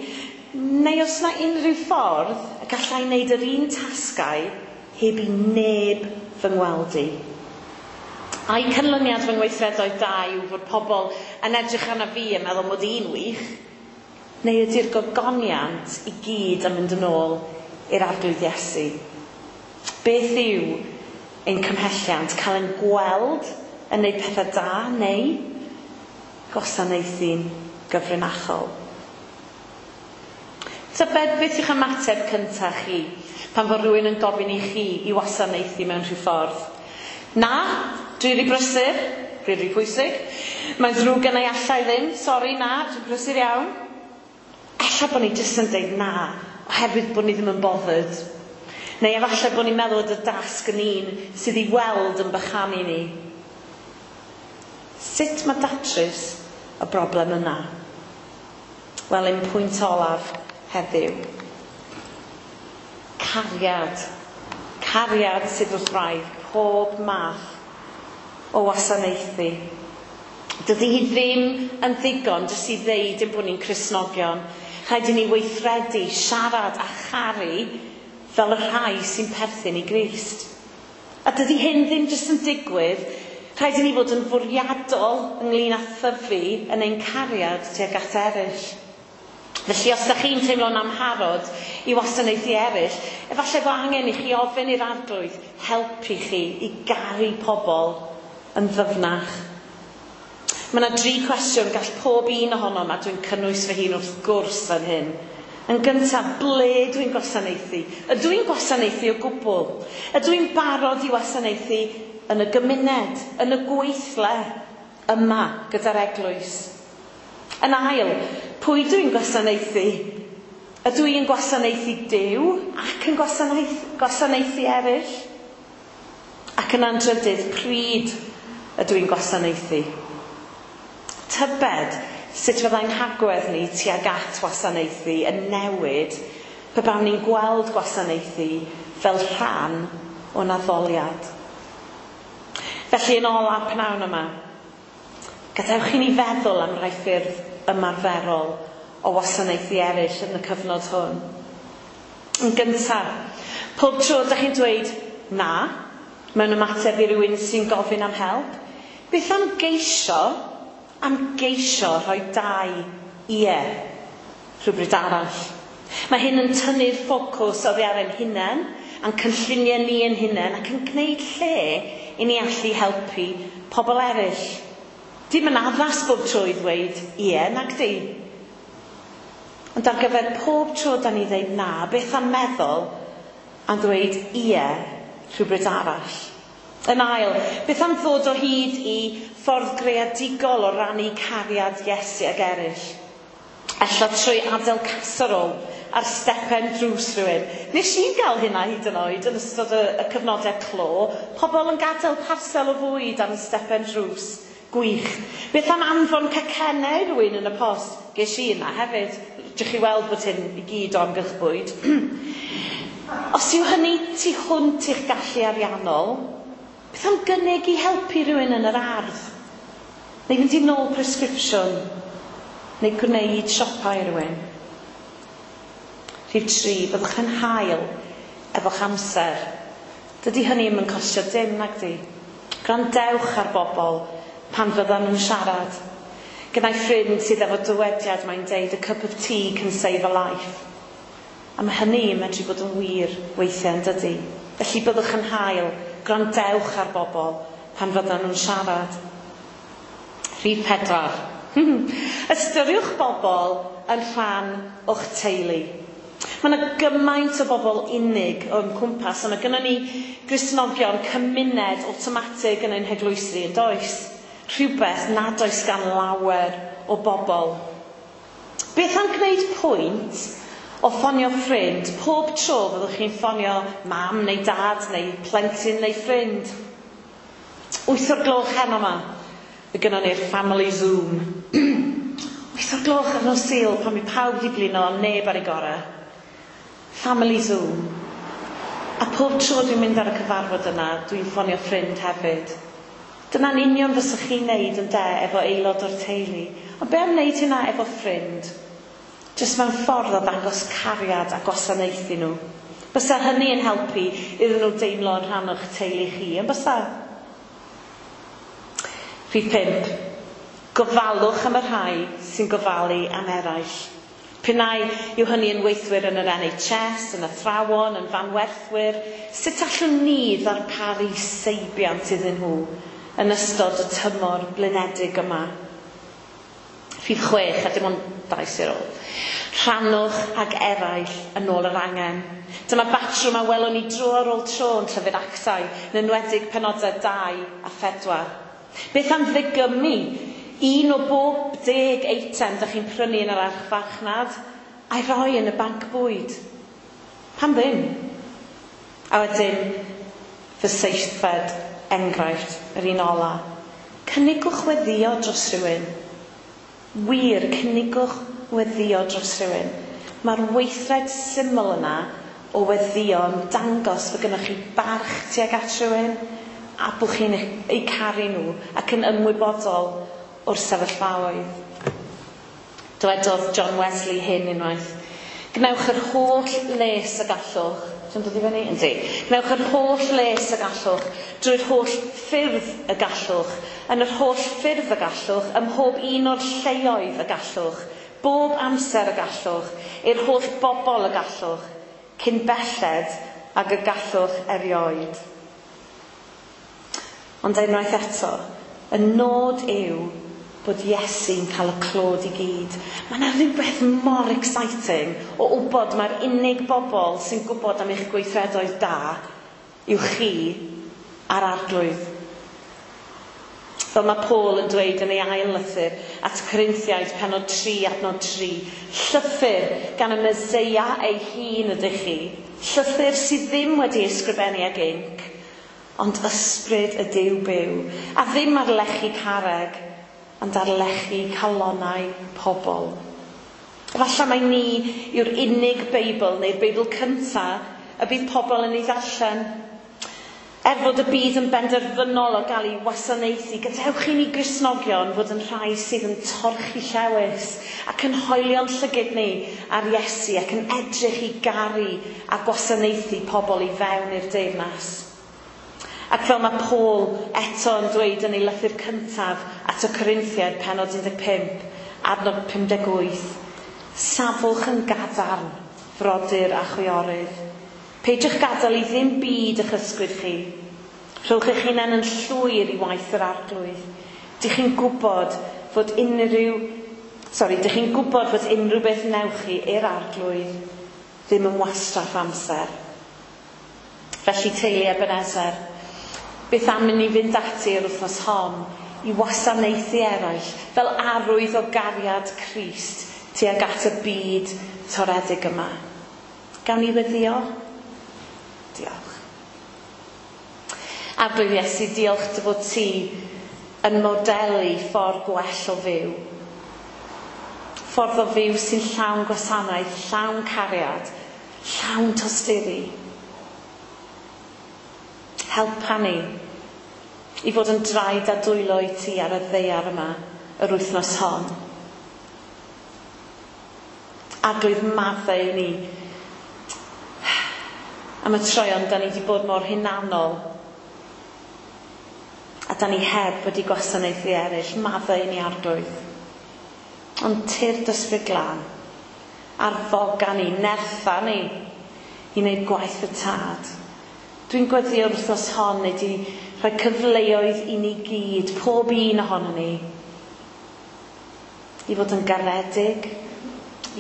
Neu os na unrhyw ffordd y gallai wneud yr un tasgau heb i neb fy ngweld i? Ai canlyniad fy ngweithredoedd da yw fod pobl yn edrych arna fi yn meddwl mod i'n wych? Neu ydy'r gogoniant i gyd yn mynd yn ôl i'r Arglwydd Iesu? Beth yw ein cymhelliant? Cael ein gweld yn gwneud pethau da neu gwasanaethu'n gyfrinachol? Tybed beth yw'ch ymateb cyntaf chi pan fod rhywun yn gofyn i chi i wasanaethu mewn rhyw ffordd? Na, dwi rhy brysur, dwi rhy pwysig. Mae'n ddrwg gennai, allai ddim, sori na, dwi'n brysur iawn. Ella bod ni jyst yn deud na, oherwydd bod ni ddim yn bothered. Neu efallai bod ni'n meddwl bod y dasg yn un sydd i weld yn bychanu ni. Sut mae datrys y broblem yna? Wel, un pwynt olaf heddiw. Cariad. Cariad sydd wrth wraidd pob math o wasanaethu. Dydy hi ddim yn ddigon jyst i ddeud ein bod ni'n Cristnogion. Rhaid i ni weithredu, siarad a charu fel y rhai sy'n perthyn i Grist. A dydy hyn ddim jyst yn digwydd, rhaid i ni fod yn fwriadol ynglyn â thyfu yn ein cariad tuag at eraill. Felly os ydych chi'n teimlo'n amharod i wasanaethu eraill, efallai bod angen i chi ofyn i'r Arglwydd helpu chi i garu pobl yn ddyfnach. Mae yna dri cwestiwn gall pob un ohonom, a dwi'n cynnwys fy hun wrth gwrs yn hyn. Yn gyntaf, ble dwi'n gwasanaethu? Ydw i'n gwasanaethu o gwbl? Ydw i'n barod i wasanaethu yn y gymuned, yn y gweithle, yma gyda'r eglwys? Yn ail, pwy dwi'n gwasanaethu? Ydw i'n gwasanaethu Duw ac yn gwasanaethu eraill? Ac yn antrydydd, pryd ydw i'n gwasanaethu? Tybed sut fyddai'n hagwedd ni tuag at wasanaethu yn newid pe bawn ni'n gweld gwasanaethu fel rhan o'n addoliad. Felly yn olaf pnawn yma, gadewch i ni feddwl am rai ffyrdd ymarferol o wasanaethu eraill yn y cyfnod hwn. Yn gyntaf, pob tro ydych chi'n dweud na mewn ymateb i rywun sy'n gofyn am help, beth am geisio rhoi dau ie rhywbryd arall? Mae hyn yn tynnu'r ffocws oddi ar ein hunain, a'n cynlluniau ni ein hunain, ac yn gwneud lle i ni allu helpu pobl eraill. Dim yn addas bob tro i ddweud ie, nag di. Ond ar gyfer pob tro da ni ddeud na, beth am meddwl am ddweud ie rhywbryd arall? Yn ail, beth am ddod o hyd i ffordd greadigol o rannu cariad Iesu ag eraill? Ella trwy adael casserole ar stepen drws rhywun. Nes i gael hynna hyd yn oed yn ystod y cyfnodau clo. Pobl yn gadael parsel o fwyd ar y stepen drws. Gwych. Beth am anfon cacennau i rhywun yn y post? Ges i yna hefyd. Dych chi weld bod hyn i gyd o amgylch bwyd. Os yw hynny tu hwnt i'ch gallu ariannol, beth am gynnig i helpu rhywun yn yr ardd? Neu fynd i nôl presgripsiwn? Neu gwneud siopa i rhywun? Rhif 3, byddwch yn hael efo'ch amser. Dydy hynny ddim yn costio dim, nag di. Gwrandewch ar bobl pan fyddan nhw'n siarad. Gyda'i ffrind sydd efo dywediad, mae'n deud, "A cup of tea can save a life." A mae hynny yn medru bod yn wir weithiau, yn dydy. Felly byddwch yn hael, gwrandewch ar bobl pan fyddan nhw'n siarad. Rhif 4. Ystyriwch bobl yn rhan o'ch teulu. Mae yna gymaint o bobl unig o'n cwmpas, a mae gynnon ni Gristnogion cymuned awtomatig yn ein heglwysi, yn does? Rhywbeth nad oes gan lawer o bobl. Beth am gwneud pwynt o ffonio ffrind pob tro fyddwch chi'n ffonio mam neu dad neu plentyn neu ffrind? 8 o'r gloch heno yma, fe gynnon ni'r family Zoom. 8 o'r gloch ar nos Sul pan mae pawb di blino a neb ar ei gorau. Family Zoom. A pob tro dwi'n mynd ar y cyfarfod yna, dwi'n ffonio ffrind hefyd. Dyna'n union fyswch chi'n neud yn de efo aelod o'r teulu. Ond be am wneud hynna efo ffrind? Jyst mewn ffordd o ddangos cariad a gwasanaethu nhw. Bysa hynny yn helpu iddyn nhw deimlo yn rhan o'ch teulu chi, yn bysa? Rhif 5. Gofalwch am y rhai sy'n gofalu am eraill. P'un ai yw hynny yn weithwyr yn yr NHS, yn athrawon, yn fanwerthwyr, sut allwn ni ddarparu seibiant iddyn nhw yn ystod y tymor blinedig yma? Rhif 6, a dim ond 2 sydd ar ôl. Rhannwch ag eraill yn ôl yr angen. Dyma batrwm a welwn ni dro ar ôl tro yn llyfr Actau, yn enwedig penodau 2 a 4. Beth am ddigymu un o bob 10 eitem dych chi'n prynu yn yr archfarchnad a'i roi yn y banc bwyd? Pam ddim? A wedyn, fy seithfed enghraifft, yr un ola. Cynigwch weddio dros rhywun. Wir, cynigwch weddio dros rhywun. Mae'r weithred syml yna o weddio yn dangos fod gennych chi barch tuag at rhywun a bod chi'n eu caru nhw ac yn ymwybodol o'r sefyllfaoedd. Dywedodd John Wesley hyn unwaith. Gwnewch yr holl les y gallwch. Ti'n dod i fyny? Yndi. Gwnewch yr holl les y gallwch, drwy'r holl ffyrdd y gallwch, yn yr holl ffyrdd y gallwch, ym mhob un o'r lleoedd y gallwch, bob amser y gallwch, i'r holl bobl y gallwch, cyn belled ag y gallwch erioed. Ond unwaith eto, y nod yw bod Iesu'n cael y clod i gyd. Mae yna rhywbeth mor exciting o wybod mae'r unig bobl sy'n gwybod am eich gweithredoedd da yw chi a'r Arglwydd. Fel mae Paul yn dweud yn ei ail lythyr at Corinthiaid penod 3 adnod 3. Llythyr gan y Meseia ei hun ydych chi. Llythyr sydd ddim wedi ysgrifennu ag inc, ond ysbryd y Duw byw, a ddim ar lechi carreg, ond ar lechi calonnau pobl. Efallai mai ni yw'r unig Beibl neu'r Beibl cyntaf y bydd pobl yn ei ddarllen. Er fod y byd yn benderfynol o gael ei wasanaethu, gadewch i ni Gristnogion fod yn rhai sydd yn torchi llewys ac yn hoelio'n llygid ni ar Iesu ac yn edrych i garu a gwasanaethu pobl i fewn i'r deyrnas. Ac fel mae Paul eto yn dweud yn ei lythyr cyntaf at y Corinthiaid penod 15, adnod 58, safwch yn gadarn, frodyr a chwiorydd. Peidiwch gadael i ddim byd eich ysgwyd chi. Rhowch eich hunain yn llwyr i waith yr Arglwydd. Dych chi'n gwybod fod unrhyw beth newch chi i'r Arglwydd ddim yn wastraff amser. Felly teulu Ebenezer, beth am i ni fynd ati yr wythnos hon i wasanaethu eraill fel arwydd o gariad Crist tuag at y byd toredig yma. Gawn ni weddio? Diolch. Arglwydd Iesu, diolch dy fod ti yn modelu ffordd gwell o fyw. Ffordd o fyw sy'n llawn gwasanaeth, llawn cariad, llawn tosturi. Helpa ni i fod yn draed a dwylo i ti ar y ddaear yma yr wythnos hon. Arglwydd, maddau i ni am y troeon da ni wedi bod mor hunanol a da ni heb wedi gwasanaethu eraill. Maddau i ni, Arglwydd. Ond tyrd Ysbryd Glân, arfoga ni, nertha ni i wneud gwaith y Tad. Dwi'n gweddïo'r wythnos hon neu di rhoi cyfleoedd i ni gyd, pob un ohono ni, i fod yn garedig,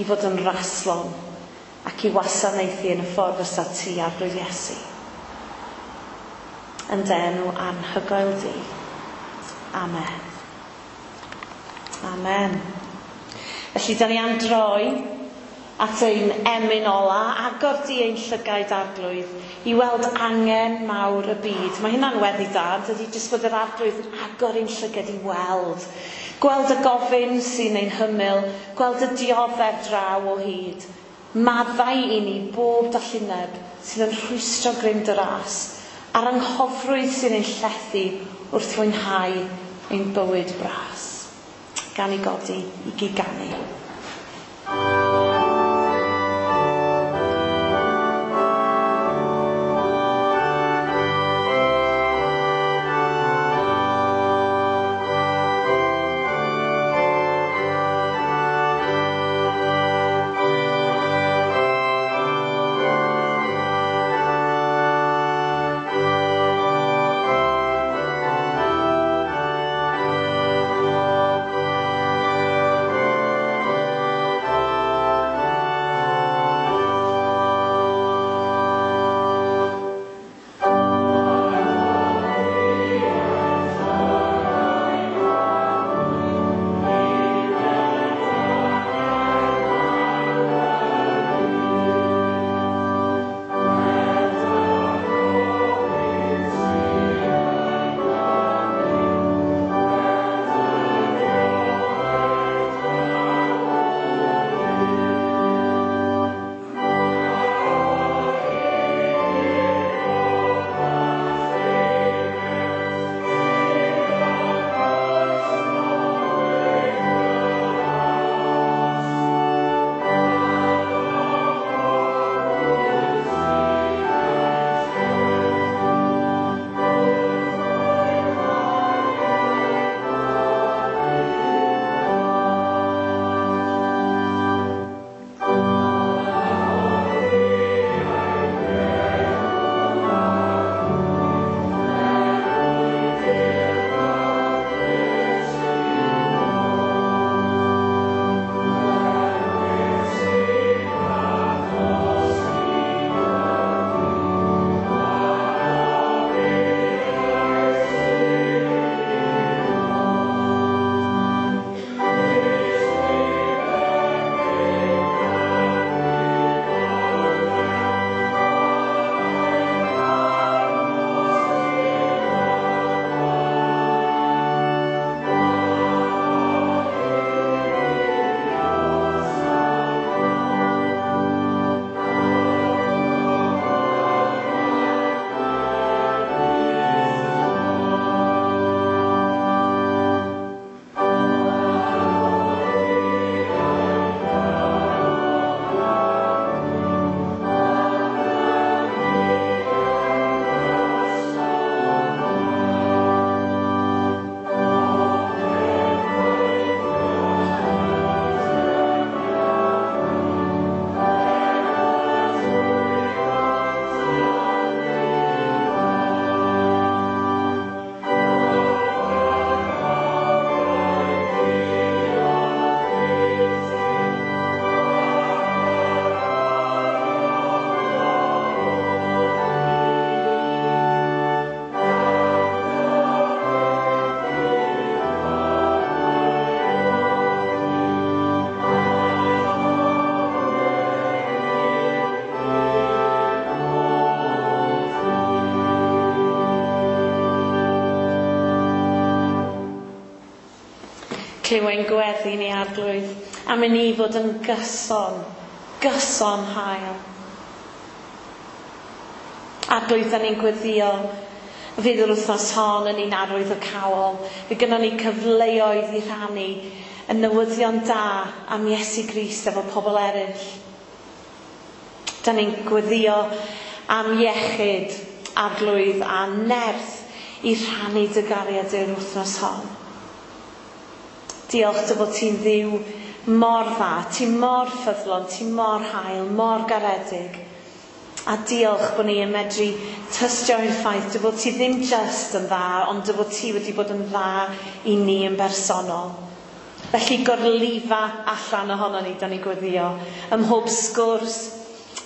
i fod yn raslon, ac i wasanaethu yn y ffordd fysa ti, Arglwydd Iesu. Yn dy enw anhygoel di. Amen. Amen. Felly, da ni am droi at ein emyn ola, agor di ein llygaid, Arglwydd, i weld angen mawr y byd. Mae hynna'n weddi da, dydy jyst bod yr Arglwydd yn agor ein llygad i weld. Gweld y gofyn sy'n ein hymyl, gweld y dioddef draw o hyd. Maddau i ni bob dallineb sydd yn rhwystro grym dy ras, a'r anghofrwydd sy'n ein llethu wrth fwynhau ein bywyd bras. Gan i godi i giganu. Clyw ein gweddi ni Arglwydd, am i ni fod yn gyson, gyson hael. Arglwydd, da ni'n gweddio fydd yr wythnos hon yn un arwyddocaol. Fe gynnon ni cyfleoedd i rhannu y newyddion da am Iesu Grist efo pobl eraill. Da ni'n gweddio am iechyd, Arglwydd, a nerth i rhannu dy gariad i'r wythnos hon. Diolch dy fod ti'n Dduw mor dda, ti mor ffyddlon, ti mor hael, mor garedig. A diolch bod ni yn medru tystio i'r ffaith dy fod ti ddim just yn dda, ond dy fod ti wedi bod yn dda i ni yn bersonol. Felly gorlifa allan ohono ni, da ni'n gweddio, ym mhob sgwrs,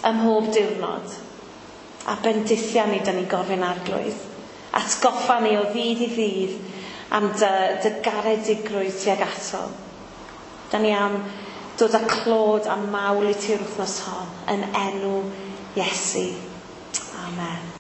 ym mhob diwrnod. A bendithia ni, da ni'n gofyn Arglwydd. Atgoffa ni o ddydd i ddydd am dy garedigrwydd tuag ato. Da ni am dod â clod a mawl i ti'r wythnos hon yn enw Iesu. Amen.